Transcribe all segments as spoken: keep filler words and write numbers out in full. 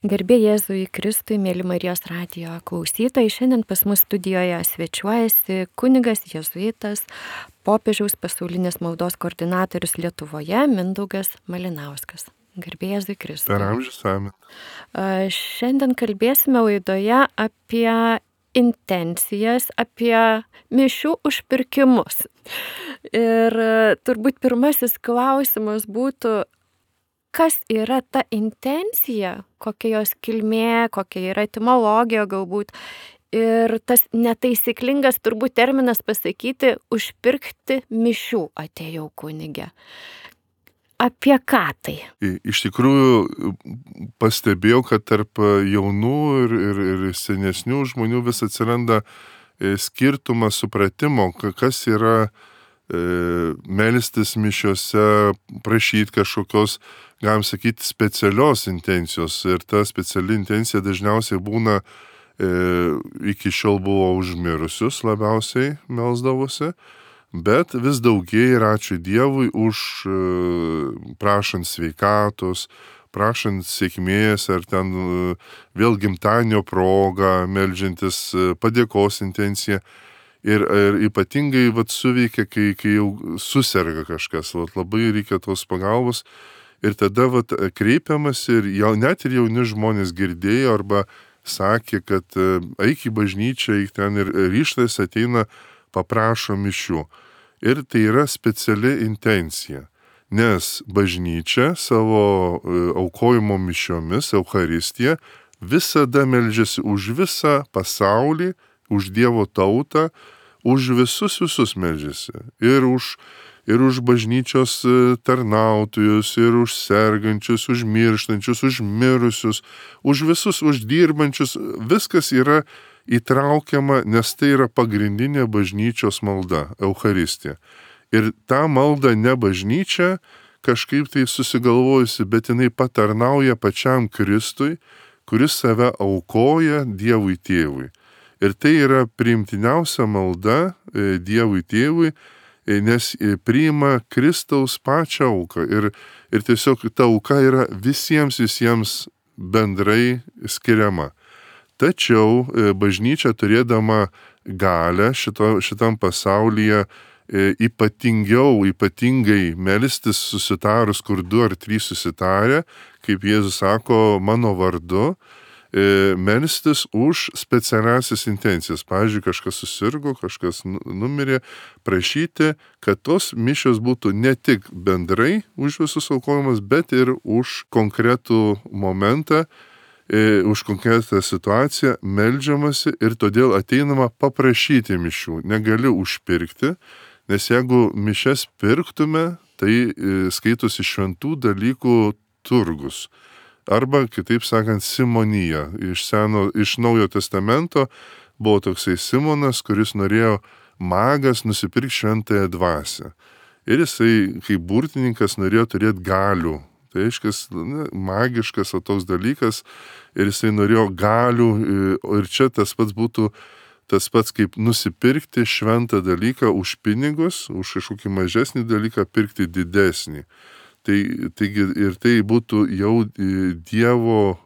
Garbė Jėzui Kristui, mėly Marijos radijo klausytojai, šiandien pas mus studijoje svečiuojasi kunigas jėzuitas, popiežiaus pasaulinės maldos koordinatorius Lietuvoje Mindaugas Malinauskas. Garbė Jėzui Kristui. Per amžius amen. Šiandien kalbėsime laidoje apie intencijas, apie mišių užpirkimus. Ir turbūt pirmasis klausimas būtų, kas yra ta intencija, kokia jos kilmė, kokia yra etimologija galbūt. Ir tas netaisyklingas turbūt terminas pasakyti, užpirkti mišių atėjau kunige. Apie ką tai? Iš tikrųjų pastebėjau, kad tarp jaunų ir, ir, ir senesnių žmonių vis atsiranda skirtumas supratimo, kas yra e, melstis mišiose, prašyti kažkokios, galim sakyti, specialios intencijos. Ir ta speciali intencija dažniausiai būna, e, iki šiol buvo užmirusius labiausiai melsdavosi, bet vis daugėja ir ačiū Dievui už e, prašant sveikatos, prašant sėkmės ar ten e, vėl gimtadienio proga, meldžiantis e, padėkos intenciją. Ir, ir ypatingai vat, suveikia, kai, kai jau suserga kažkas, vat, labai reikia tos pagalbos. Ir tada vat, kreipiamas ir jau, net ir jauni žmonės girdėjo arba sakė, kad eik į bažnyčią, eik ten ir ryžtas ateina, paprašo mišių. Ir tai yra speciali intencija, nes bažnyčia savo aukojimo mišiomis, Eucharistija, visada meldžiasi už visą pasaulį, už Dievo tautą, už visus visus meldžiasi. Ir už ir už bažnyčios tarnautojus, ir už sergančius, už mirštančius, už mirusius, už visus, už dirbančius. Viskas yra įtraukiama, nes tai yra pagrindinė bažnyčios malda, Eucharistija. Ir tą maldą ne bažnyčia kažkaip tai susigalvojusi, bet jinai patarnauja pačiam Kristui, kuris save aukoja Dievui Tėvui. Ir tai yra priimtiniausia malda Dievui Tėvui, nes priima Kristaus pačią auką. Ir, ir tiesiog ta auka yra visiems visiems bendrai skiriama. Tačiau bažnyčia turėdama galę šito, šitam pasaulyje ypatingiau, ypatingai melstis susitarus, kur du ar trys susitarę, kaip Jėzus sako, mano vardu, melstis už specialiasias intencijas. Pavyzdžiui, kažkas susirgo, kažkas numirė, prašyti, kad tos mišios būtų ne tik bendrai už visus aukojimas, bet ir už konkretų momentą, už konkretą situaciją meldžiamasi ir todėl ateinama paprašyti mišių. Negali užpirkti, nes jeigu mišias pirktume, tai skaitosi šventų dalykų turgus. Arba, kitaip sakant, simonija. Iš, seno, iš Naujo testamento buvo toksai Simonas, kuris norėjo magas nusipirkti šventąją dvasią. Ir jisai, kaip burtininkas, norėjo turėti galių. Tai aiškas, ne, magiškas o toks dalykas. Ir jisai norėjo galių. Ir čia tas pats būtų tas pats, kaip nusipirkti šventą dalyką už pinigus, už kažkokį mažesnį dalyką pirkti didesnį. Tai, taigi, ir tai būtų jau Dievo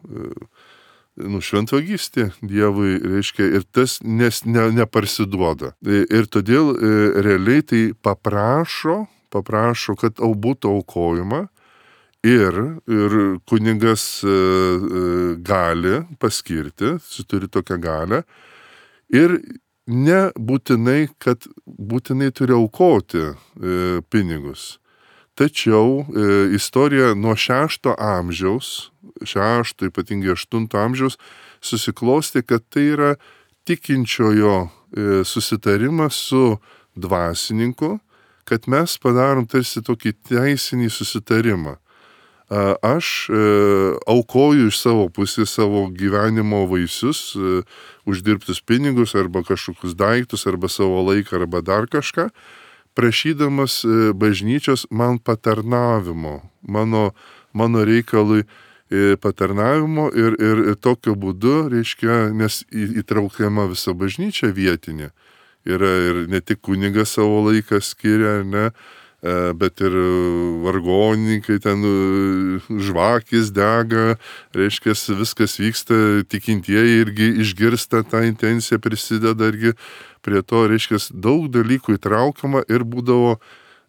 nu, šventvagystė Dievui, reiškia, ir tas nes, ne, neparsiduoda. Ir todėl realiai tai paprašo, paprašo, kad būtų aukojama ir, ir kunigas gali paskirti, turi tokią galę, ir nebūtinai, kad būtinai turi aukoti pinigus. Tačiau e, istorija nuo šešto amžiaus, šešto, ypatingai aštunto amžiaus, susiklosti, kad tai yra tikinčiojo e, susitarimas su dvasininku, kad mes padarom tarsi tokį teisinį susitarimą. A, aš e, aukoju iš savo pusės savo gyvenimo vaisius, e, uždirbtus pinigus arba kažkokius daiktus, arba savo laiką, arba dar kažką, prašydamas bažnyčios man patarnavimo, mano, mano reikalui patarnavimo ir, ir, ir tokiu būdu, reiškia, nes įtraukiama visa bažnyčia vietinė. Yra ir ne tik kunigas savo laiką skiria, ne, bet ir vargonininkai, ten žvakės dega, reiškia, viskas vyksta, tikintieji irgi išgirsta tą intenciją, prisideda irgi prie to, reiškia, daug dalykų įtraukiama ir būdavo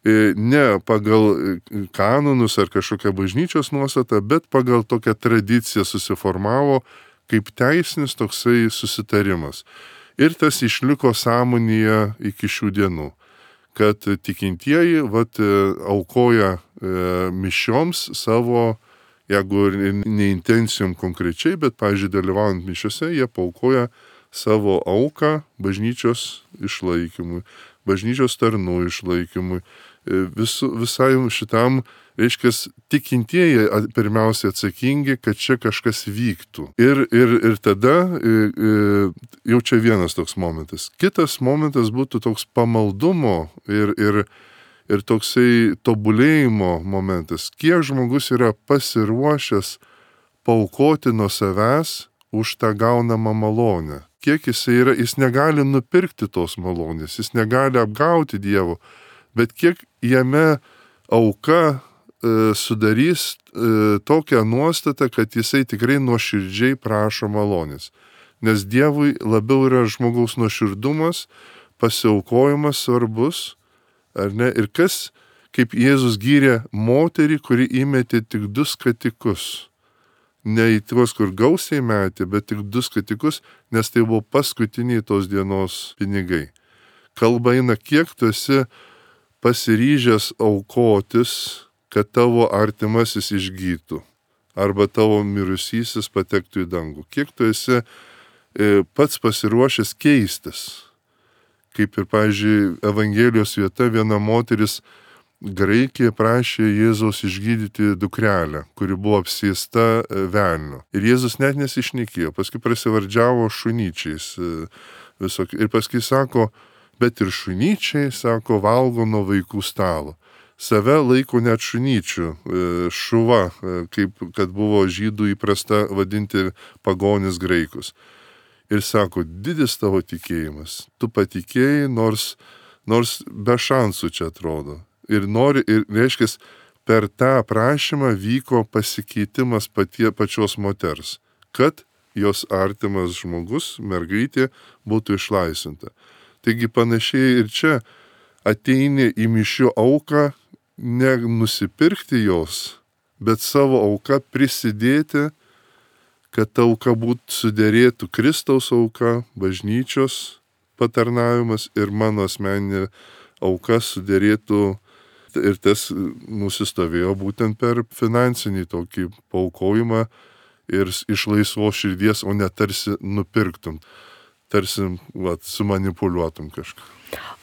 ne pagal kanonus ar kažkokią bažnyčios nuostatą, bet pagal tokią tradiciją susiformavo kaip teisinis toksai susitarimas. Ir tas išliko sąmonėje iki šių dienų, kad tikintieji vat, aukoja e, mišioms savo, jeigu ne intencijom konkrečiai, bet, pavyzdžiui, dalyvaujant mišiose, jie paukoja savo auką bažnyčios išlaikymui, bažnyčios tarnų išlaikymui. Vis, visai šitam, reiškia, tikintieji pirmiausia atsakingi, kad čia kažkas vyktų. Ir, ir, ir tada jau čia vienas toks momentas. Kitas momentas būtų toks pamaldumo ir, ir, ir toksai tobulėjimo momentas. Kiek žmogus yra pasiruošęs paaukoti nuo savęs už tą gaunamą malonę. Kiek jis yra, jis negali nupirkti tos malonės, jis negali apgauti Dievo, bet kiek jame auka e, sudarys e, tokią nuostatą, kad jisai tikrai nuoširdžiai prašo malonės. Nes Dievui labiau yra žmogaus nuoširdumas, pasiaukojimas svarbus, ar ne? Ir kas, kaip Jėzus gyrė moterį, kuri įmetė tik du skatikus. Ne į tuos, kur gausiai metė, bet tik du skatikus, nes tai buvo paskutiniai tos dienos pinigai. Kalba eina, kiek tu esi pasiryžęs aukotis, kad tavo artimasis išgytų, arba tavo mirusysis patektų į dangų. Kiek tu esi e, pats pasiruošęs keistis. Kaip ir, pavyzdžiui, Evangelijos vieta, viena moteris Graikija prašė Jėzaus išgydyti dukrelę, kuri buvo apsėsta velnio. Ir Jėzus net nesišnekėjo, paskui prasivardžiavo šunyčiais. Visok... Ir paskui sako, bet ir šunyčiai, sako, valgo nuo vaikų stalo. Save laiko net šunyčių, šuva, kaip kad buvo žydų įprasta vadinti pagonis graikus. Ir sako, didis tavo tikėjimas, tu patikėjai, nors, nors be šansų čia atrodo. Ir nori, ir reiškia, per tą prašymą vyko pasikeitimas patie pačios moters, kad jos artimas žmogus, mergaitė, būtų išlaisvinta. Taigi panašiai ir čia ateini į mišių auką, ne nusipirkti jos, bet savo auką prisidėti, kad ta auka būtų suderėtų Kristaus auka, bažnyčios patarnavimas ir mano asmeninė auka suderėtų. Ir tas nusistovėjo būtent per finansinį tokį paaukojimą ir iš laisvos širdies, o ne tarsi nupirktum, tarsi vat, sumanipuliuotum kažką.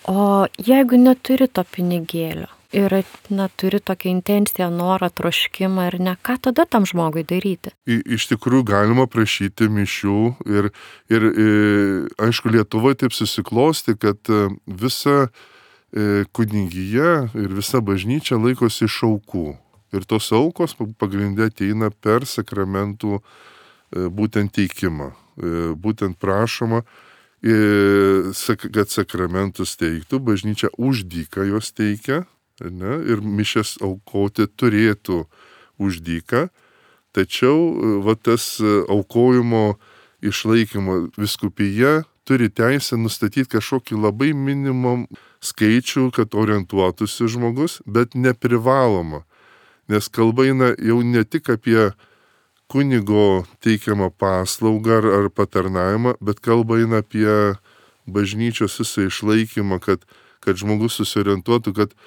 O jeigu neturi to pinigėlio ir na, turi tokią intenciją, norą, troškimą ir ne, ką tada tam žmogui daryti? I, iš tikrųjų galima prašyti mišių ir, ir, ir aišku, Lietuvoje taip susiklosti, kad visa kunigija ir visa bažnyčia laikosi iš aukų. Ir tos aukos pagrindė ateina per sakramentų būtent teikimą. Būtent prašoma, kad sakramentus teiktų, bažnyčia už dyką jos teikia, ne? Ir mišias aukoti turėtų už dyką. Tačiau va, tas aukojimo išlaikymo vyskupija turi teisę nustatyti kažkokį labai minimum skaičių, kad orientuotųsi žmogus, bet neprivaloma. Nes kalba eina jau ne tik apie kunigo teikiamą paslaugą ar, ar patarnavimą, bet kalba eina apie bažnyčios visą išlaikymą, kad, kad žmogus susiorientuotų, kad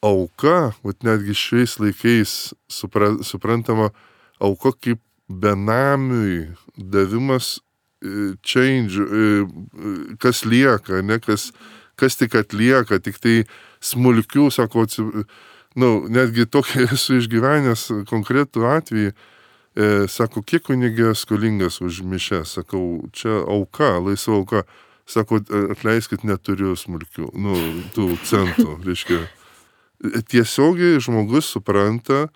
auka, vat netgi šiais laikais supra, suprantama, auka kaip benamiui davimas change, kas lieka, ne, kas, kas tik atlieka, tik tai smulkių, sako, nu, netgi tokį esu išgyvenęs konkretų atvejį, e, sako, kiek kunigė skolingas už mišes, sakau, čia auka, laisva auka, sako, atleiskit, neturiu smulkių, nu, tų centų, reiškia. Tiesiogiai žmogus supranta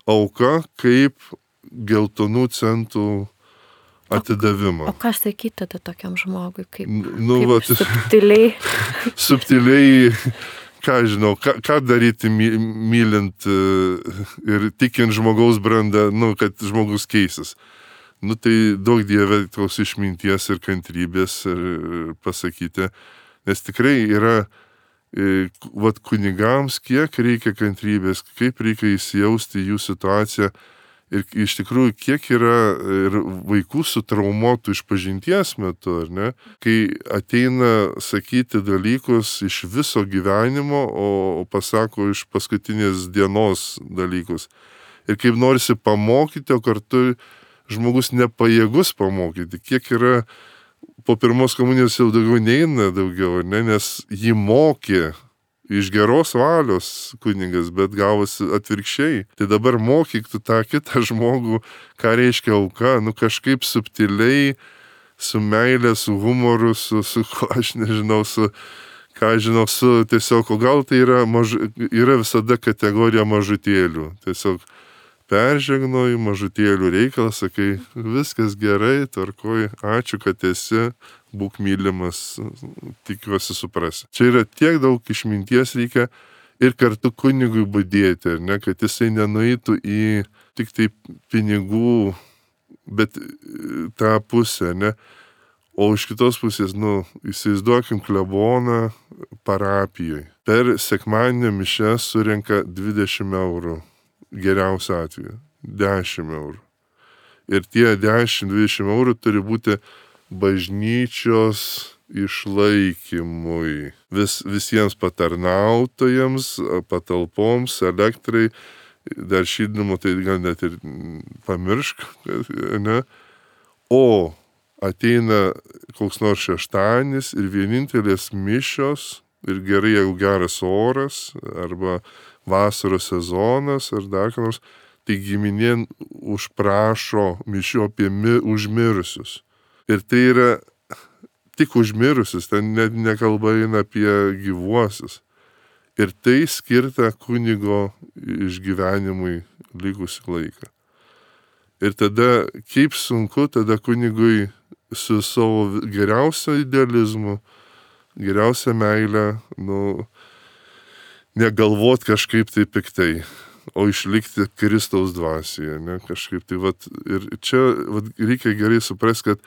auka kaip geltonų centų atidavimą. O, o ką sakyti tada tokiam žmogui, kaip, nu, kaip vat, subtiliai? subtiliai ką žinau, ką, ką daryti my, mylint ir tikint žmogaus brandą, nu, kad žmogus keisis. Nu tai daug Dieve tos išminties ir kantrybės ir pasakyti, nes tikrai yra, e, vat kunigams, kiek reikia kantrybės, kaip reikia įsijausti į jų situaciją ir iš tikrųjų kiek yra ir vaikų sutraumuotų išpažinties metu, ar ne, kai ateina sakyti dalykus iš viso gyvenimo, o pasako iš paskutinės dienos dalykus. Ir kaip norisi pamokyti, o kartu žmogus nepajėgus pamokyti, kiek yra po pirmos komunijos jau daugiau neina daugiau, ne, nes jį mokė iš geros valios kunigas, bet gavosi atvirkščiai. Tai dabar mokyk tu tą kitą žmogų, ką reiškia auka, nu kažkaip subtiliai, su meilė, su humoru, su, su ko aš nežinau, su, ką žinau, su tiesiog, o gal tai yra, maž, yra visada kategorija mažutėlių, tiesiog peržegnoji mažutėlių reikalas, sakai, viskas gerai, tvarkoj, ačiū, kad esi, būk mylimas, tikiuosi suprasi. Čia yra tiek daug išminties reikia ir kartu kunigui budėti, ne, kad jisai nenueitų į tik tai pinigų, bet tą pusę, ne. O iš kitos pusės, nu, įsivaizduokim kleboną parapijoje. Per sekmadienio mišes surenka dvidešimt eurų. Geriausiu atveju dešimt eurų. Ir tie dešimt dvidešimt eurų turi būti bažnyčios išlaikymui. Vis, visiems patarnautojams, patalpoms, elektrai, dar šildymo, tai gal net ir pamiršk, ne? O ateina koks nors šeštadienis ir vienintelės mišios, ir gerai, jeigu geras oras, arba vasaros sezonas ar dar ką nors, tai giminė užprašo mišių apie mi, užmirusius. Ir tai yra tik užmirusius, ten net nekalba eina apie gyvuosius. Ir tai skirta kunigo išgyvenimui likusį laiką. Ir tada, kaip sunku tada kunigui su savo geriausiu idealizmu, geriausia meilė, nu, negalvot kažkaip tai piktai, o išlikti Kristaus dvasioje, ne, kažkaip tai, vat, ir čia vat, reikia gerai suprasti, kad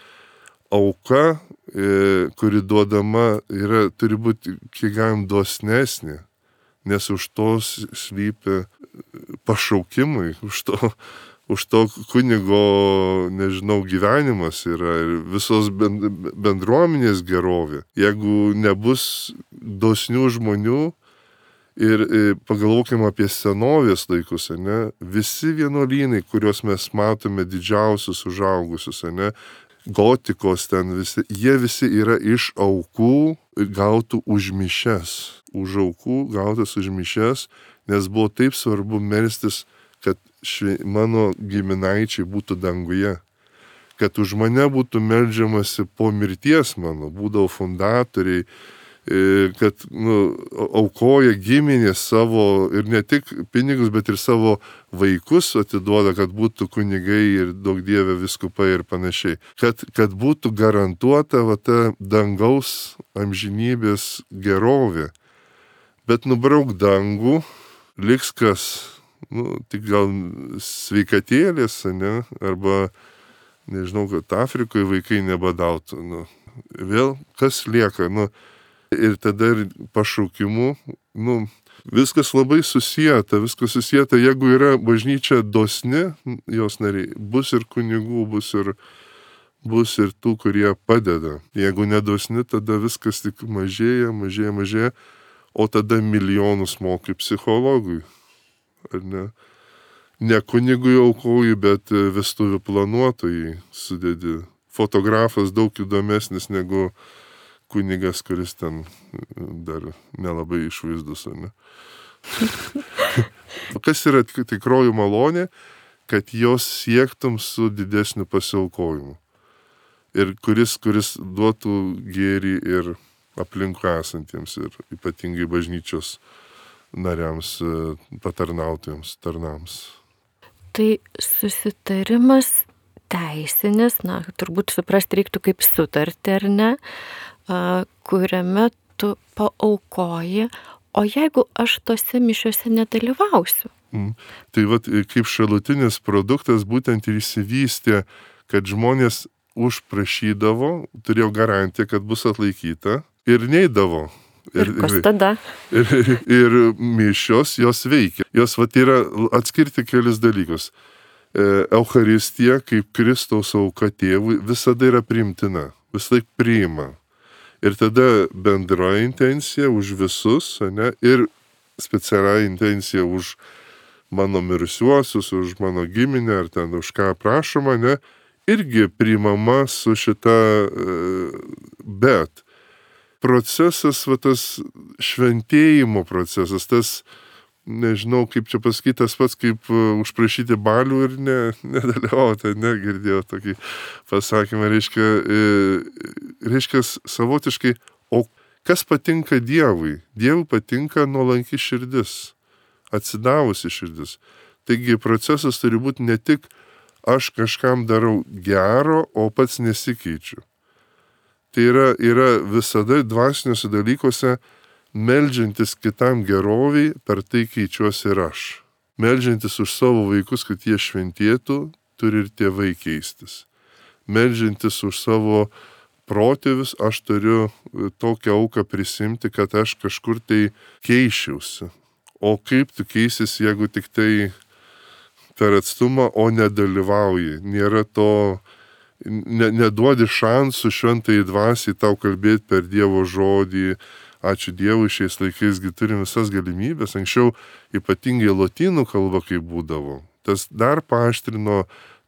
auka, e, kuri duodama, yra, turi būti kiek galim dosnesnė, nes už to slypi pašaukimai, už to, už to kunigo, nežinau, gyvenimas yra ir visos bendruomenės gerovė. Jeigu nebus dosnių žmonių, ir pagalvokime apie senovės laikus, ne? Visi vienuolynai, kuriuos mes matome didžiausius užaugusius, ne? Gotikos ten visi, jie visi yra iš aukų gautų už mišes. Už aukų gautas už mišes, nes buvo taip svarbu melstis, kad šve, mano giminaičiai būtų danguje. Kad už mane būtų meldžiamasi po mirties mano, būdavo fundatoriai, kad nu, aukoja giminės savo ir ne tik pinigus, bet ir savo vaikus atiduoda, kad būtų kunigai ir daug Dieve vyskupai ir panašiai. Kad, kad būtų garantuota va, ta dangaus amžinybės gerovė. Bet nubrauk dangų, liks kas, nu, tik gal sveikatėlės, ne, arba nežinau, kad Afrikoje vaikai nebadautų. Nu, vėl kas lieka, nu, ir tada ir pašaukimu, nu, viskas labai susijęta, viskas susijęta, jeigu yra bažnyčia dosni, jos nariai, bus ir kunigų, bus ir, bus ir tų, kurie padeda. Jeigu nedosni, tada viskas tik mažėja, mažėja, mažėja, o tada milijonus mokai psichologui, ar ne? Ne kunigui aukoji, bet vestuvių planuotojai sudedi. Fotografas daug įdomesnis negu kunigas, kuris ten dar nelabai išvaizdus, ne? Kas yra tikroji malonė, kad jos siektum su didesniu pasiaukojimu. Ir kuris, kuris duotų gėrį ir aplinkui esantiems, ir ypatingai bažnyčios nariams, patarnautojams, tarnams. Tai susitarimas teisinis, na, turbūt suprasti reiktų kaip sutartį, ar ne, kuriame tu paaukoji, o jeigu aš tose mišiuose nedalyvausiu? Mm. Tai vat, kaip šalutinis produktas būtent ir įsivystė, kad žmonės užprašydavo, turėjo garantiją, kad bus atlaikyta ir neidavo. Ir kas tada? Ir, ir, ir mišios jos veikia. Jos vat yra atskirti kelis dalykus. Eucharistija, kaip Kristaus auka tėvui, visada yra priimtina, vis laik priima. Ir tada bendra intencija už visus, ne, ir specialia intencija už mano mirusiuosius, už mano giminę, ar ten už ką prašoma, ne, irgi priimama su šita, bet procesas, va tas šventėjimo procesas, tas, nežinau, kaip čia pasakyti, tas pats, kaip užprašyti balių ir ne, nedalyvauti, negirdėjau tokį pasakymą, reiškia, reiškia savotiškai, o kas patinka Dievui? Dievui patinka nuolanki širdis, atsidavusi širdis. Taigi procesas turi būti ne tik aš kažkam darau gero, o pats nesikeičiu. Tai yra, yra visada dvasiniuose dalykuose meldžiantis kitam geroviai, per tai keičiuosi ir aš. Meldžiantis už savo vaikus, kad jie šventėtų, turi ir tėvai keistis. Meldžiantis už savo protėvius, aš turiu tokią auką prisimti, kad aš kažkur tai keičiausi. O kaip tu keisis, jeigu tik tai per atstumą, o nedalyvauji. Nėra to, ne, neduodi šansų šventai dvasiai tau kalbėti per Dievo žodį. Ačiū Dievui, šiais laikaisgi turim visas galimybės. Anksčiau ypatingai lotynų kalba kaip būdavo. Tas dar paaštrino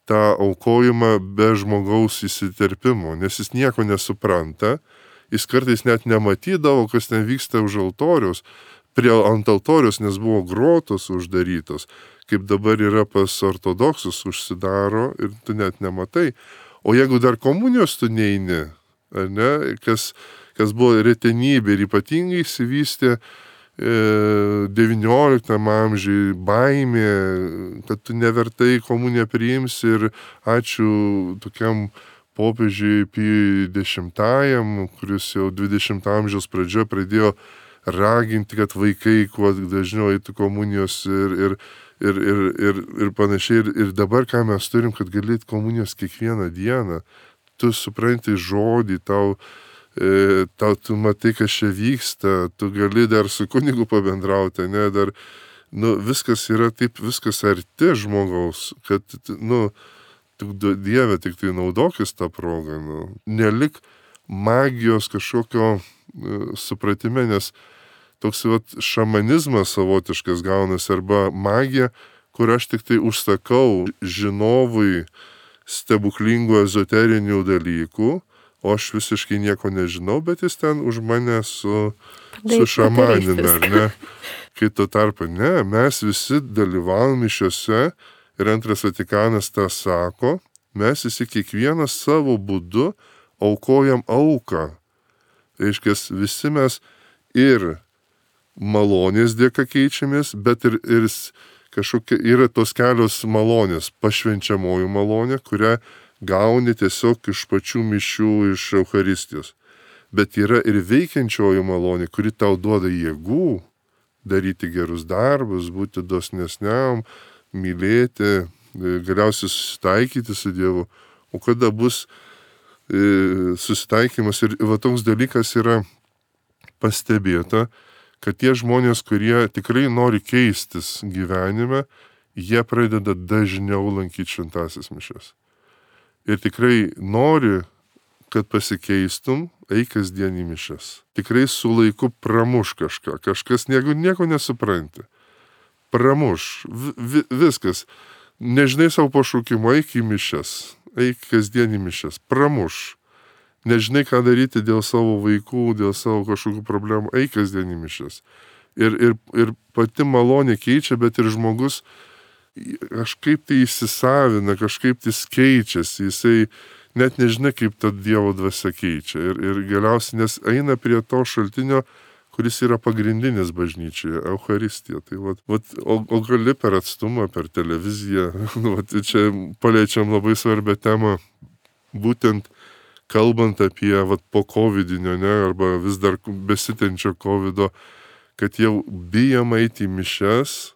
tą aukojimą be žmogaus įsiterpimo, nes jis nieko nesupranta. Jis kartais net nematydavo, kas ten vyksta už altoriaus. Prie ant altorius, nes buvo grotos uždarytos, kaip dabar yra pas ortodoksus, užsidaro ir tu net nematai. O jeigu dar komunijos tu neini, ar ne, kas, kas buvo retenybė ir ypatingai įsivystė e, devynioliktam amžiui baimė, kad tu nevertai komuniją priimsi ir ačiū tokiam popiežiui Pijui dešimtajam, kuris jau dvidešimto amžiaus pradžioje pradėjo raginti, kad vaikai kuo dažniau eitų komunijos ir, ir, ir, ir, ir, ir panašiai. Ir, ir dabar ką mes turim, kad galėt komunijos kiekvieną dieną. Tu supranti žodį, tau, e, tau tu matai, kas čia vyksta, tu gali dar su kunigu pabendrauti, ne, dar, nu, viskas yra taip, viskas arti žmogaus, kad, nu, tu Dieve tik tai naudokis tą progą, nu, nelik magijos kažkokio supratime, nes toks vat, šamanizmas savotiškas gaunasi arba magija, kur aš tik tai užsakau žinovui stebuklingų ezoterinių dalykų, o aš visiškai nieko nežinau, bet jis ten už mane su, su šamanina, ar ne? Kai tuo tarpu, ne, mes visi dalyvavom mišiuose ir antras Vatikanas tą sako, mes visi kiekvienas savo būdu aukojam auką. Reiškia, visi mes ir malonės dėka keičiamės, bet ir, ir kažkokia yra tos kelios malonės, pašvenčiamoji malonė, kurią gauni tiesiog iš pačių mišių, iš Eucharistijos. Bet yra ir veikiančioji malonė, kuri tau duoda jėgų daryti gerus darbus, būti dosnesniam, mylėti, galiausiai susitaikyti su Dievu. O kada bus susitaikymas ir va toks dalykas yra pastebėta, kad tie žmonės, kurie tikrai nori keistis gyvenime, jie pradeda dažniau lankyti šventąsias mišias. Ir tikrai nori, kad pasikeistum, eik kasdien į mišias. Tikrai su laiku pramuš kažką, kažkas nieko, nieko nesupranti. Pramuš, vi, viskas. Nežinai savo pašaukimo, eik į mišias. Eik kasdien į mišias, pramuš. Nežinai, ką daryti dėl savo vaikų, dėl savo kažkokių problemų, eik kasdien į mišias. Ir, ir, ir pati malonė keičia, bet ir žmogus kažkaip tai įsisavina, kažkaip tai keičiasi, jisai net nežinai, kaip ta Dievo dvasia keičia. Ir, ir galiausiai, nes eina prie to šaltinio, kuris yra pagrindinis bažnyčioje, Eucharistija. Tai vat, vat, o, o gali per atstumą, per televiziją, vat, čia paliečiam labai svarbią temą, būtent kalbant apie vat, po covidinio, ne, arba vis dar besitenčio covido, kad jau bijom eiti į mišias,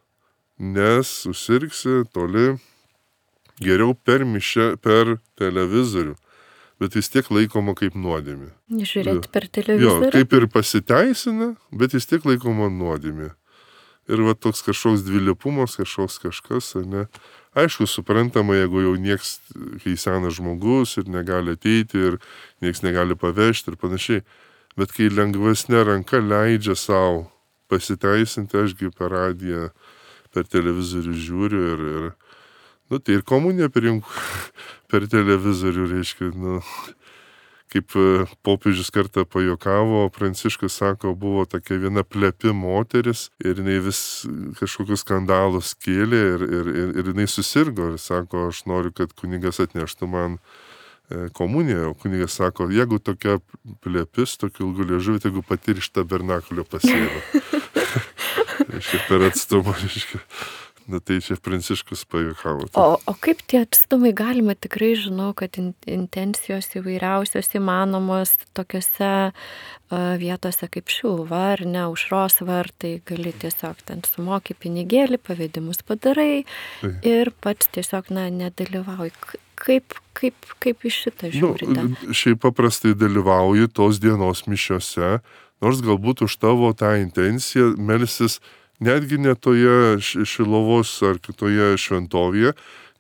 nes susirgsi toli, geriau per mišę, per televizorių, bet vis tiek laikoma kaip nuodėmė. Žiūrėti per Jo, televizorių. kaip ir pasiteisina, bet vis tiek laikoma nuodėmė. Ir va toks kažkoks dvilypumas, kažkoks kažkas, ar ne. Aišku, suprantama, jeigu jau nieks, kai senas žmogus ir negali ateiti ir nieks negali pavežti ir panašiai. Bet kai lengvesnė ranka leidžia savo pasiteisinti, ašgi per radiją, per televizorių žiūriu ir, ir nu, tai ir komuniją priimk per televizorių, reiškia, nu, kaip popiežius kartą pajuokavo, Pranciškus sako, buvo tokia viena plepi moteris ir jinai vis kažkokius skandalus kėlė ir, ir, ir, ir jinai susirgo ir sako, aš noriu, kad kunigas atneštų man komuniją, o kunigas sako, jeigu tokia plepis, tokiu ilgu liežuvį, jeigu pati iš tabernakulio pasėdo. Reiškia, per atstumą, reiškia. Na tai čia Pranciškus pajuokavo. O, o kaip tie atstumai galima, tikrai žinau, kad in, intencijos įvairiausios įmanomos tokiose uh, vietose kaip Šiluva ar ne, Aušros vartai, gali tiesiog ten sumoki pinigėlį, pavedimus padarai tai. Ir pats tiesiog, na, nedalyvauji. Kaip, kaip, kaip iš šitą žiūrite? Nu, šiaip paprastai dalyvauji tos dienos mišiose, nors galbūt už tavo tą intenciją melsis netgi ne toje Šiluvos ar kitoje šventovėje,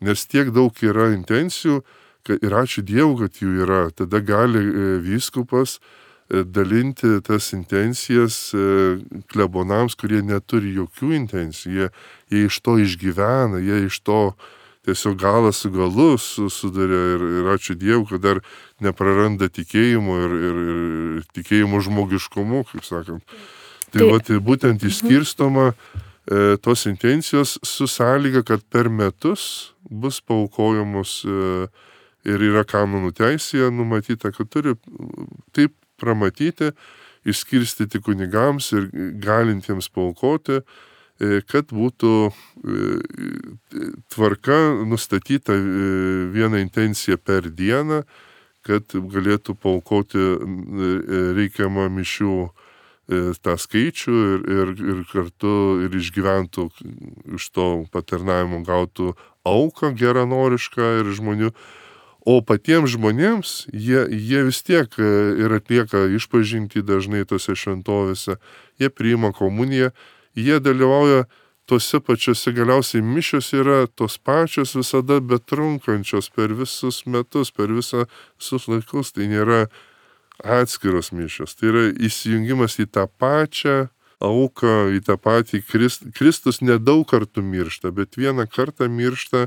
nes tiek daug yra intencijų, kad, ir ačiū Dievui, kad jų yra. Tada gali vyskupas dalinti tas intencijas klebonams, kurie neturi jokių intencijų. Jie, jie iš to išgyvena, jie iš to tiesiog galą su galu sudarė ir, ir ačiū Dievui, kad dar nepraranda tikėjimo ir, ir, ir tikėjimo žmogiškumu, kaip sakant. Tai, tai va, tai būtent išskirstoma e, tos intencijos su sąlyga, kad per metus bus paaukojamos e, ir yra kanonų teisėje numatyta, kad turi taip pramatyti, išskirstyti kunigams ir galintiems paaukoti, e, kad būtų e, tvarka nustatyta e, viena intencija per dieną, kad galėtų paaukoti e, reikiamą mišių tą skaičių ir, ir, ir kartu ir išgyventų iš to patarnavimo gautų auką geranorišką ir žmonių. O patiems žmonėms jie, jie vis tiek ir atlieka išpažintį dažnai tose šventovėse, jie priima komuniją, jie dalyvauja tose pačiose, galiausiai mišios yra tos pačios visada betrunkančios per visus metus, per visą, visus laikus, tai nėra atskiros mišios. Tai yra įsijungimas į tą pačią auką, į tą patį Krist, Kristus nedaug kartų miršta, bet vieną kartą miršta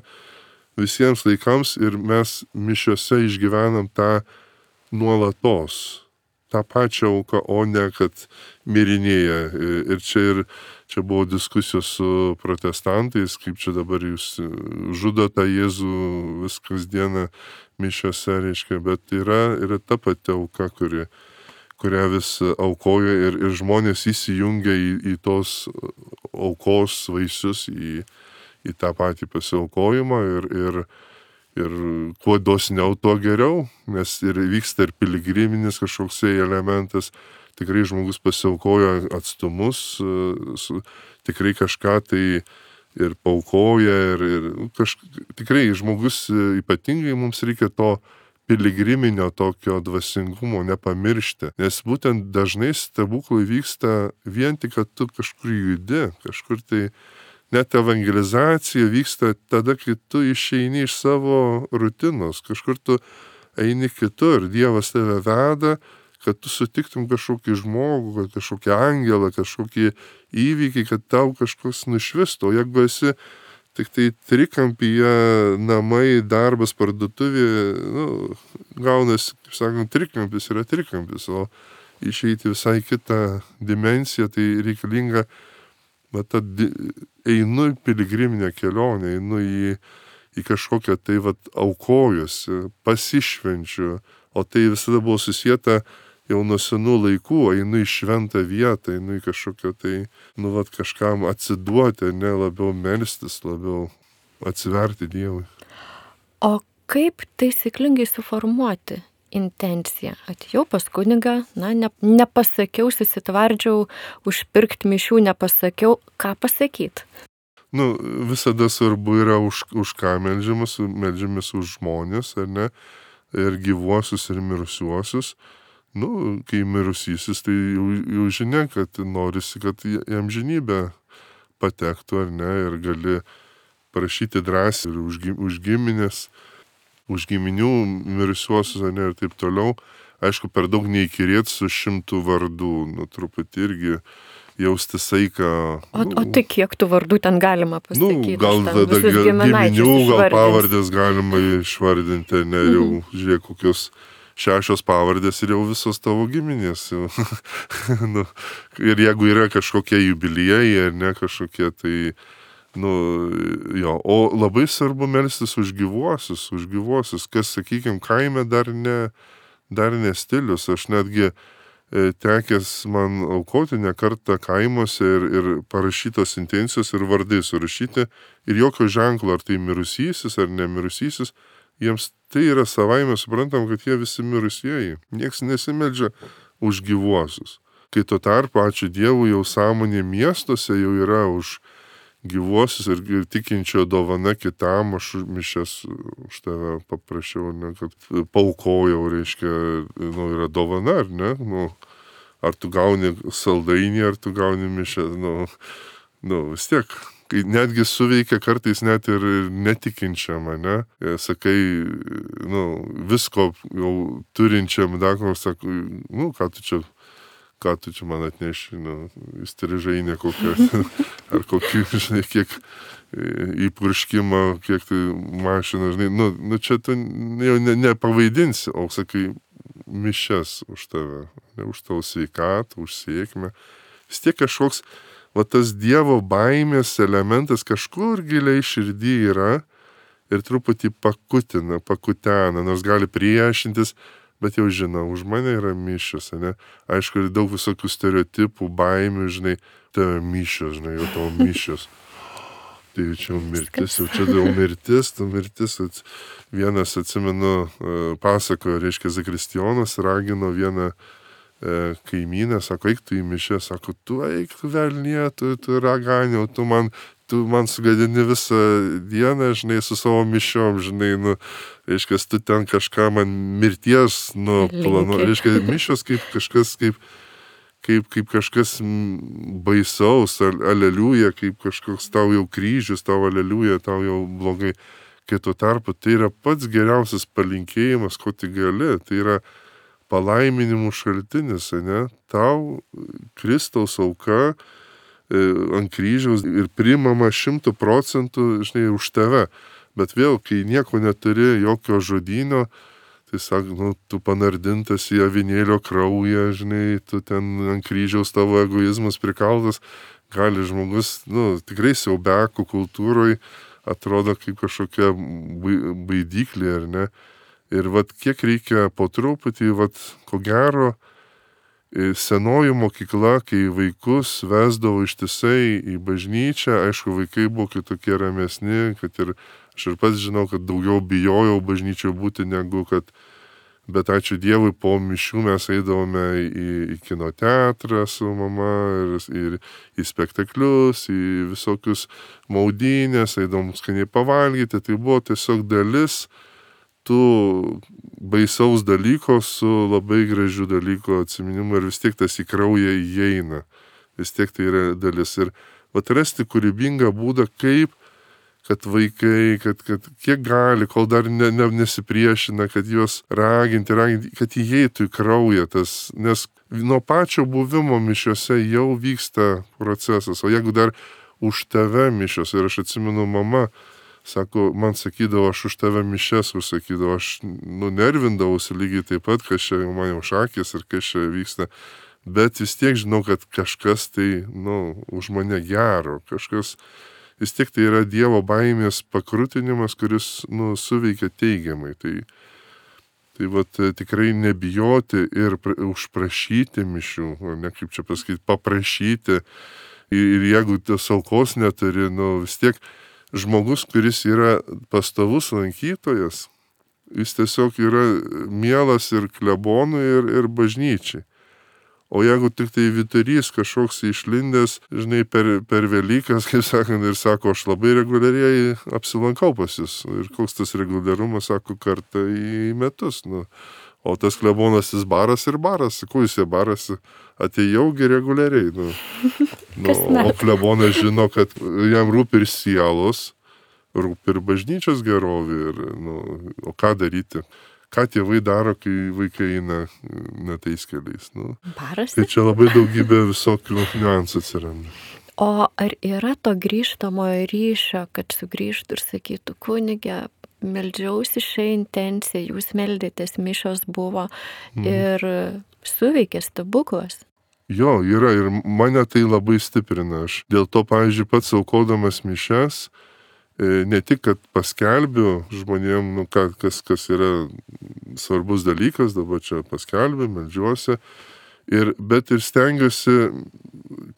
visiems laikams ir mes mišiose išgyvenam tą nuolatos, tą pačią auką, o ne kad mirinėja. Ir čia, ir čia buvo diskusijos su protestantais, kaip čia dabar jūs žudo tą Jėzų vis kasdieną mišiose, reiškia, bet yra, yra ta pati auka, kuri, kurią vis aukoja ir, ir žmonės įsijungia į, į tos aukos vaisius, į, į tą patį pasiaukojimą ir, ir, ir kuo dosniau, tuo geriau, nes ir vyksta ir piligriminis kažkoksai elementas, tikrai žmogus pasiaukoja atstumus, su, tikrai kažką tai ir paukoja ir, ir kaž, tikrai žmogus ypatingai mums reikia to piligriminio tokio dvasingumo nepamiršti, nes būtent dažnai stebuklai vyksta vien tik, kad tu kažkur judi, kažkur tai net evangelizacija vyksta tada, kai tu išeini iš savo rutinos, kažkur tu eini kitur, Dievas tave veda, kad tu sutiktum kažkokį žmogų, kad kažkokį angelą, kažkokį įvykį, kad tau kažkoks nušvistų. O jeigu esi tik tai trikampyje, namai, darbas, parduotuvė, nu, gaunasi, kaip sakant, trikampis yra trikampis, o išeiti visai kitą dimensiją, tai reikalinga, va, ta, einu į piligriminę kelionę, einu į, į kažkokią tai, va, aukojusi, pasišvenčiu, o tai visada buvo susieta jau nuo senų laikų, einu į šventą vietą, einu į kažkokią tai, nu, vat, kažkam atsiduoti, ne labiau melstis, labiau atsiverti Dievui. O kaip taisyklingai suformuoti intencija. Atėjau pas kunigą, na, ne, nepasakiau, susitvardžiau, užpirkti mišių nepasakiau, ką pasakyti. Nu, visada svarbu yra už, už ką meldžiamas, meldžiamas už žmonės, ar ne, ir gyvuosius, ir mirusiuosius. Nu, kai mirusysis, tai jau, jau žinia, kad norisi, kad į amžinybę patektų, ar ne, ir gali prašyti drąsiai ir už, už giminės, už giminių mirusiuosius, ar ne, ir taip toliau. Aišku, per daug neįkirėt su šimtų vardų, nu, truputį irgi jausti saiką. O, nu, o tai kiek tų vardų ten galima pasakyti? Nu, gal tada giminių, gal pavardės galima išvardinti, ne, jau mhm. žiūrėk, kokios šešios pavardės ir jau visos tavo giminės. Nu, ir jeigu yra kažkokie jubiliejai, ar ne kažkokie, tai, nu, jo, o labai svarbu melstis už gyvuosius, už gyvuosius, kas, sakykime, kaime dar ne, dar ne stilius. Aš netgi tekęs man aukoti ne kartą kaimuose ir, ir parašytos intencijos ir vardai surašyti ir jokio ženklo, ar tai mirusysis ar nemirusysis, jiems tai yra savaime suprantam, kad jie visi mirusieji. Niekas nesimeldžia už gyvuosius. Kai tuo tarpu, ačiū Dievui, jau sąmonė miestuose jau yra už gyvuosius ir, ir tikinčio dovana kitam, aš mišias už tave paprašiau, ne, kad paaukojau, reiškia, nu, yra dovana, ar ne, nu, ar tu gauni saldainį, ar tu gauni mišę, nu, nu, vis tiek, kai netgi suveikia kartais net ir netikinčiam, ne, sakai, nu, visko jau turinčiam, dakaro, sakai, nu, ką tu čia, ką tu čia man atneši, nu, įstrižainė kokią, ar kokį, žinai, kiek įpurškimą, kiek tai mašina, žinai, nu, nu čia tu jau ne, nepavaidinsi, o sakai, mišias už tave, ne, už tavo sveikatą, už sėkmę. Vis tiek kažkoks, va tas Dievo baimės elementas kažkur giliai širdį yra ir truputį pakutina, pakutena, nors gali priešintis, bet jau žinau, už mane yra mišios, ne? Aišku, ir daug visokių stereotipų, baimių, žinai, tave mišios, žinai, jau tavo mišios. Tai čia jau mirtis, jau čia jau mirtis, tu mirtis. Vienas, atsimenu, pasakojo, reiškia, Zakristijonas ragino vieną kaimynę, sako, eik tu į mišę, sako, tu eik, tu velnie, tu, tu raganiau, tu man, tu man sugadini visą dieną, žinai, su savo mišiom, žinai, nu, reiškia, tu ten kažką man mirties, nu, planu, reiškia, mišios kaip kažkas, kaip, kaip, kaip kažkas baisaus, aleliuja, kaip kažkoks tau jau kryžius, tau aleliuja, tau jau blogai. Kai tuo tarpu tai yra pats geriausias palinkėjimas, ko tik gali, tai yra palaiminimų šaltinis, ne? Tau Kristaus auka e, ant kryžiaus ir priimama šimtų procentų, žinai, už tave. Bet vėl, kai nieko neturi, jokio žodynio, tai sak, nu, tu panardintas į avinėlio kraują, žinai, tu ten ant kryžiaus tavo egoizmas prikaltas, gali žmogus, nu, tikrai siaubekų kultūroj atrodo kaip kažkokia baidyklė, ar ne? Ir vat kiek reikia po truputį, vat ko gero, senoji mokykla, kai vaikus vesdavo ištisai į bažnyčią, aišku, vaikai buvo kitokie ramesni, kad ir aš ir pats žinau, kad daugiau bijojau bažnyčioje būti negu kad, bet ačiū Dievui, po mišių mes eidavome į, į kino teatrą su mama ir, ir į spektaklius, į visokius maudynės, eidavom skaniai pavalgyti, tai buvo tiesiog dalis tų baisaus dalyko su labai gražiu dalyko atsiminimu ir vis tiek tas į kraują įeina. Vis tiek tai yra dalis. Ir atrasti kūrybingą būdą, kaip, kad vaikai, kad, kad kiek gali, kol dar ne, ne, nesipriešina, kad juos raginti, raginti, kad įeitų į kraują tas, nes nuo pačio buvimo mišiose jau vyksta procesas. O jeigu dar už tave mišios, ir aš atsimenu mama, sako, man sakydavo, aš už tave mišes užsakydavo, aš nunervindavausi lygiai taip pat, kas čia man jau šakės ir kas čia vyksta. Bet vis tiek žinau, kad kažkas tai, nu, už mane gero, kažkas, vis tiek tai yra Dievo baimės pakrutinimas, kuris, nu, suveikia teigiamai. Tai, tai vat tikrai nebijoti ir pra, užprašyti mišių, ne kaip čia pasakyti, paprašyti. Ir, ir jeigu tos aukos neturi, nu, vis tiek žmogus, kuris yra pastovus lankytojas, Jis tiesiog yra mielas ir klebonui, ir, ir bažnyčiai. O jeigu tik tai vyturys kažkoks išlindęs, žinai, per, per Velykas, kaip sakant, ir sako, aš labai reguliariai apsilankau pas jus. Ir koks tas reguliarumas, sako, kartą į metus. Nu. O tas klebonas jis baras ir baras. Kuo jis barasi? Atėjaugi reguliariai. Nu. Nu, o klebonas žino, kad jam rūpi ir sielos, rūpi ir bažnyčios gerovė. Ir, nu, o ką daryti? Ką tėvai daro, kai vaikai eina netais keliais. Nu, Barasi? Tai čia labai daugybė visokių niuansų atsiranda. O ar yra to grįžtamojo ryšio, kad sugrįžtų ir sakytų, kunige, meldžiausi šią intenciją, jūs meldėtės, mišios buvo ir suveikė stebuklas? Jo, yra ir mane tai labai stiprina. Aš dėl to, pavyzdžiui, pats aukodamas mišias, ne tik, kad paskelbiu žmonėm, nu, kas, kas yra svarbus dalykas, dabar čia paskelbiu, meldžiuosi, ir, bet ir stengiuosi,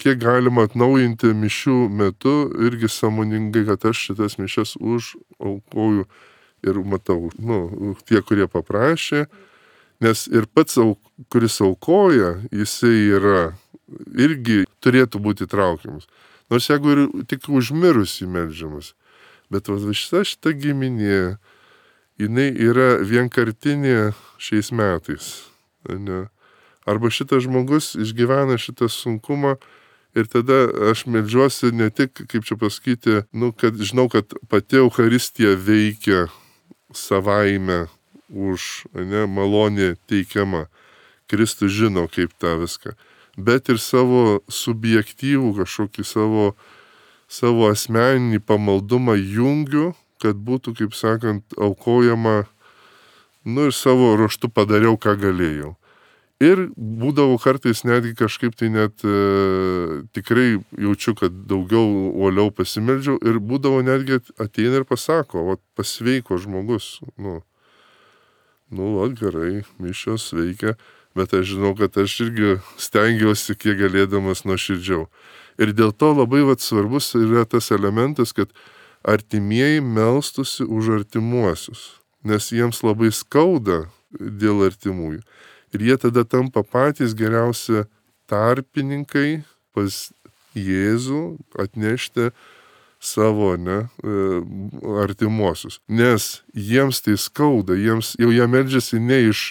kiek galima atnaujinti mišių metu, irgi sąmoningai, kad aš šitas mišias užaukoju ir matau, nu, tie, kurie paprašė, nes ir pats, kuris aukoja, jisai yra, irgi turėtų būti traukiamas. Nors jeigu ir tik užmirus įmeldžiamas. Bet šita šita giminė, jinai yra vienkartinė šiais metais. Ne? Arba šitas žmogus išgyvena šitą sunkumą ir tada aš meldžiuosi ne tik, kaip čia pasakyti, nu, kad žinau, kad pati Eucharistija veikia savaime už, ne, malonė teikiama. Kristus žino, kaip tą viską. Bet ir savo subjektyvų kažkokį savo savo asmeninį pamaldumą jungiu, kad būtų, kaip sakant, aukojama, nu ir savo ruoštu padariau, ką galėjau. Ir būdavo kartais netgi kažkaip tai net e, tikrai jaučiu, kad daugiau uoliau pasimeldžiau ir būdavo netgi ateina ir pasako, o pasveiko žmogus. Nu, nu, o gerai, mišios veikia, bet aš žinau, kad aš irgi stengiausi kiek galėdamas nuoširdžiau. Ir dėl to labai vat, svarbus yra tas elementas, kad artimieji melstusi už artimuosius, nes jiems labai skauda dėl artimųjų. Ir jie tada tampa patys geriausi tarpininkai pas Jėzų atnešti savo, ne, artimuosius. Nes jiems tai skauda, jiems jau jie meldžiasi ne iš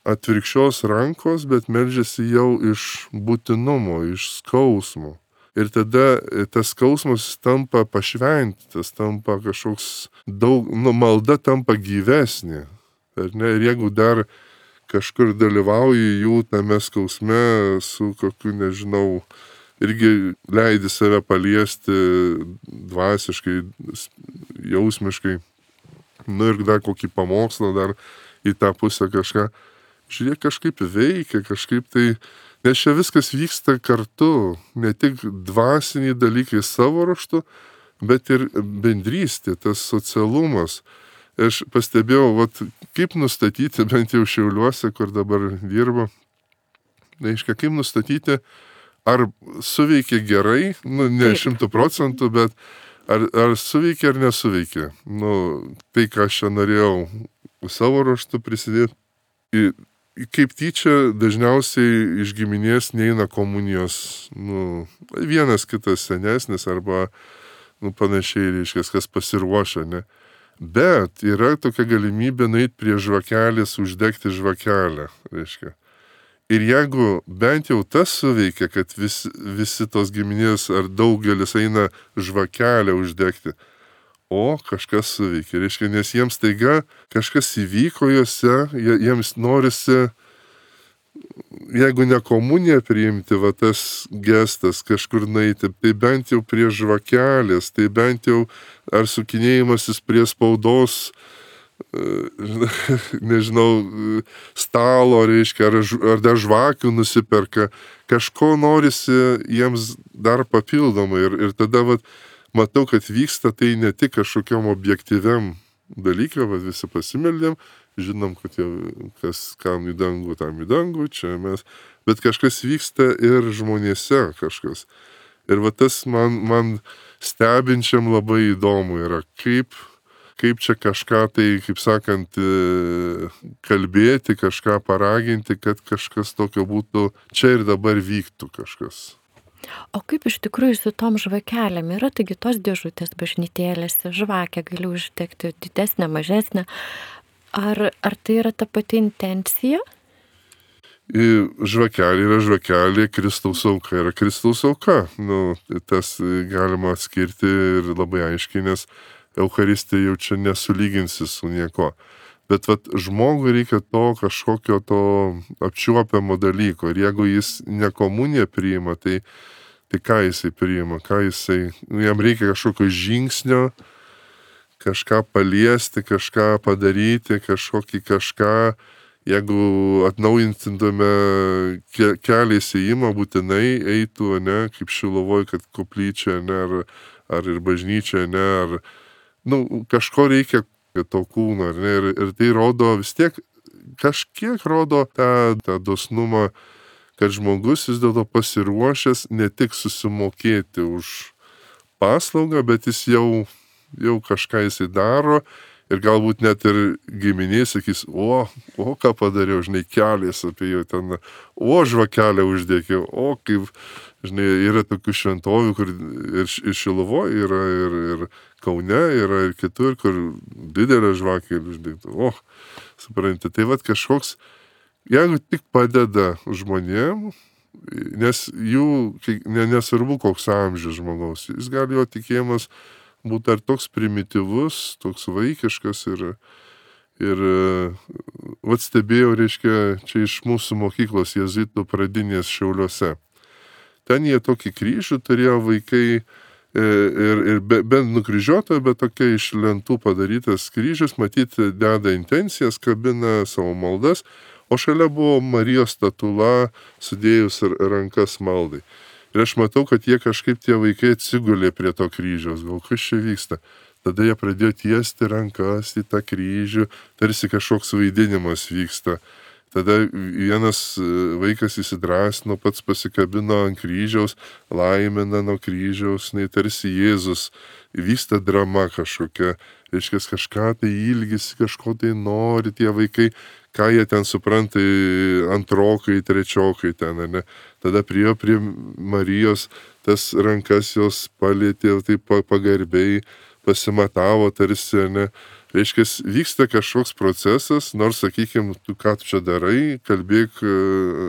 atvirkščios rankos, bet meldžiasi jau iš būtinumo, iš skausmo. Ir tada tas skausmas tampa pašventytas, tampa kažkoks daug, nu, malda tampa gyvesnė. Ar ne? Ir jeigu dar kažkur dalyvauji jų tame skausme su kokiu, nežinau, irgi leidi save paliesti dvasiškai, jausmiškai, nu ir dar kokį pamokslą, dar į tą pusę kažką. Žiūrėk, kažkaip veikia, kažkaip tai, nes čia viskas vyksta kartu, ne tik dvasiniai dalykai savo ruožtu, bet ir bendrystė, tas socialumas. Aš pastebėjau, vat, kaip nustatyti, bent jau Šiauliuose, kur dabar dirbu, reiškia, kaip nustatyti, ar suveikia gerai, nu, ne šimtų procentų, bet ar, ar suveikia ar nesuveikia. Nu, tai, ką aš čia norėjau savo ruožtu prisidėti. Ir kaip tyčia, dažniausiai iš giminės neina komunijos, nu, vienas kitas senesnis arba, nu, panašiai, reiškia, kas pasiruošia, ne. Bet yra tokia galimybė nueiti prie žvakelės, uždegti žvakelę, reiškia. Ir jeigu bent jau tas suveikia, kad vis, visi tos giminės ar daugelis eina žvakelę uždegti, o kažkas suveikia, reiškia, nes jiems taiga kažkas įvyko juose, jiems norisi, jeigu ne komuniją priimti, va tas gestas kažkur nueiti, tai bent jau prie žvakelės, tai bent jau ar sukinėjimasis prie spaudos, nežinau, stalo, reiškia, ar, ar dar žvakių nusiperka, kažko norisi jiems dar papildomai ir, ir tada, va, matau, kad vyksta tai ne tik kažkokiam objektyviam dalykui, va, visi pasimeldėm, žinom, kad jau kas kam į dangų, tam į dangų, čia mes, bet kažkas vyksta ir žmonėse kažkas. Ir va tas man, man stebinčiam labai įdomu yra, kaip, kaip čia kažką tai, kaip sakant, kalbėti, kažką paraginti, kad kažkas tokio būtų čia ir dabar vyktų kažkas. O kaip iš tikrųjų su tom žvakelėm yra, taigi tos dėžutės bažnytėlėse, žvakę gali uždegti didesnę, mažesnę. Ar, ar tai yra ta pati intencija? Žvakelė yra žvakelė, Kristaus auka yra Kristaus auka. Nu, tas galima atskirti ir labai aiškiai, nes Eucharistija jau čia nesulyginsi su nieko. Bet vat, žmogui reikia to kažkokio to apčiuopiamo dalyko. Ir jeigu jis ne komuniją priima, tai, tai ką jisai priima? Ką jisai, jam reikia kažkokio žingsnio, kažką paliesti, kažką padaryti, kažkokį kažką. Jeigu atnaujintume kelią įsijimą, būtinai eitų, ne, kaip Šiluvoj, kad koplyčia, ne, ar, ar ir bažnyčia, ne, ar, nu, kažko reikia to kūno, ne, ir, ir tai rodo vis tiek, kažkiek rodo tą, tą dosnumą, kad žmogus vis dėlto pasiruošęs ne tik susimokėti už paslaugą, bet jis jau, jau kažką jisai daro ir galbūt net ir giminiai sakys, o, o ką padariau, žinai, kelias apie jau ten, o žvakelę uždėkiau, o kaip, žinai, yra tokių šventovių, kur ir, ir Šiluvoje yra, ir, ir Kaune yra, ir kitur, kur didelė žvakė uždėkta. O, suprantate, tai vat kažkoks, jeigu tik padeda žmonėm, nes jų, nesvarbu koks amžius žmogaus, jis gali jo tikėjimas būti ar toks primityvus, toks vaikiškas ir, ir vat stebėjau, reiškia, čia iš mūsų mokyklos jėzuitų pradinės Šiauliuose. Ten jie tokį kryžių turėjo vaikai ir, ir be, bent nukryžiuotojo, bet tokia iš lentų padarytas kryžius, matyti, deda intencijas, kabina savo maldas, o šalia buvo Marijos statula, sudėjus rankas maldai. Ir aš matau, kad jie kažkaip tie vaikai atsigulė prie to kryžiaus, gal kas čia vyksta. Tada jie pradėjo tiesti rankas į tą kryžių, tarsi kažkoks vaidinimas vyksta. Tada vienas vaikas įsidrąsino, pats pasikabino ant kryžiaus, laimina nuo kryžiaus, nei tarsi Jėzus, vyksta drama kažkokia, reiškia kažką tai ilgisi, kažko tai nori tie vaikai, ką jie ten supranta, antrokai, trečiokai ten, ne? Tada priėjo prie Marijos, tas rankas jos palėtė, taip pagarbiai pasimatavo tarsi, ne? Reiškia, vyksta kažkoks procesas, nors, sakykime, tu ką tu čia darai, kalbėk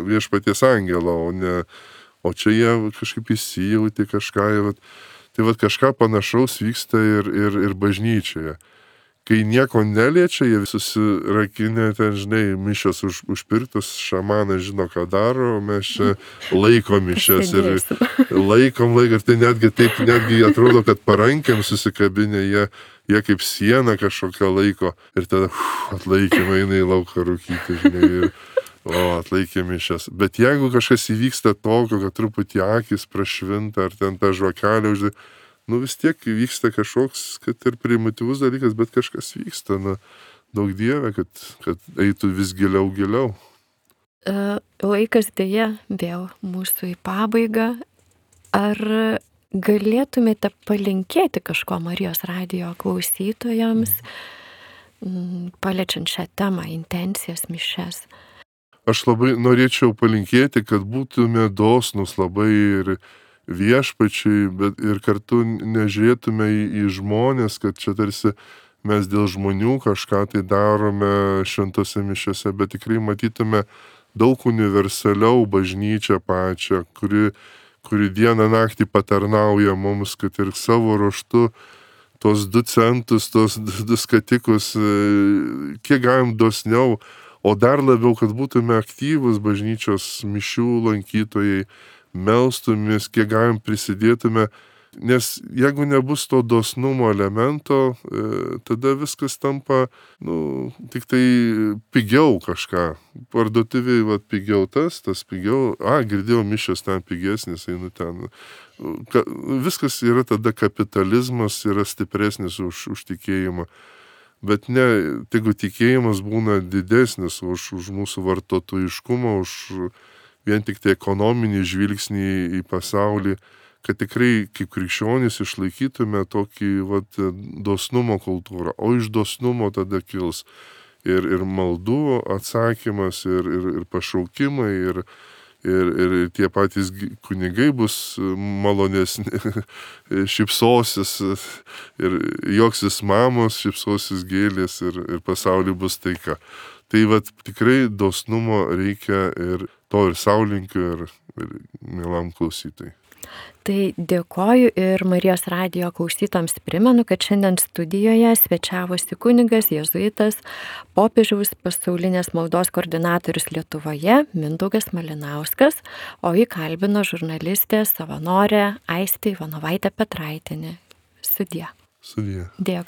viešpaties angelą, o ne, o čia jie kažkaip įsijauti kažką, vat, tai vat kažką panašaus vyksta ir, ir, ir bažnyčioje. Kai nieko neliečia, jie susirakinę ten, žinai, mišios už, užpirktus, šamanas žino, ką daro, o mes čia laikom mišias ir laikom laiką, ir tai netgi taip, netgi atrodo, kad parankėm susikabinę, jie, jie kaip siena kažkokią laiko ir tada uf, atlaikymą eina į lauką rūkyti, žinai, ir o, atlaikė mišias. Bet jeigu kažkas įvyksta tokio, kad truputį akis prašvinta, ar ten tą žvakelę uždė, nu vis tiek vyksta kažkoks, kad ir primityvus dalykas, bet kažkas vyksta, na, daug dieve, kad, kad eitų vis giliau, giliau. Laikas dėja vėl mūsų į pabaigą. Ar galėtumėte palinkėti kažko Marijos radijo klausytojams, paliečiant šią temą, intencijas, mišias? Aš labai norėčiau palinkėti, kad būtume dosnus labai ir viešpačiai, bet ir kartu nežiūrėtume į, į žmonės, kad čia tarsi mes dėl žmonių kažką tai darome šventose mišiose, bet tikrai matytume daug universaliau bažnyčią pačią, kuri, kuri dieną naktį patarnauja mums, kad ir savo ruoštu tos du centus, tos du skatikus, kiek galim dosniau, o dar labiau, kad būtume aktyvus bažnyčios mišių lankytojai, melstumės, kiek galim prisidėtume, nes jeigu nebus to dosnumo elemento, tada viskas tampa, nu, tik tai pigiau kažką. Parduotuvėje, va, pigiau tas, tas pigiau, a, girdėjau, mišios ten pigesnis, einu ten. Ka, viskas yra tada kapitalizmas, yra stipresnis už, už tikėjimą. Bet ne, jeigu tikėjimas būna didesnis už, už mūsų vartotojiškumą, už vien tik tai ekonominį žvilgsnį į pasaulį, kad tikrai kaip krikščionys išlaikytume tokį vat, dosnumo kultūrą, o iš dosnumo tada kils ir, ir maldų atsakymas, ir, ir, ir pašaukimai, ir, ir, ir tie patys kunigai bus malonesni, šypsosis, ir joksis mamos, šypsosis gėlės, ir, ir pasaulyje bus taika. Tai vat tikrai dosnumo reikia, ir to ir sau linkiu, ir, ir mielam klausytojui. Tai dėkoju, ir Marijos radijo klausytojams primenu, kad šiandien studijoje svečiavosi kunigas jėzuitas, popiežiaus pasaulinės maldos koordinatorius Lietuvoje Mindaugas Malinauskas, o jį kalbino žurnalistė savanorė Aistė Ivanovaitė Petraitienė. Sudie. Sudie. Dėkui.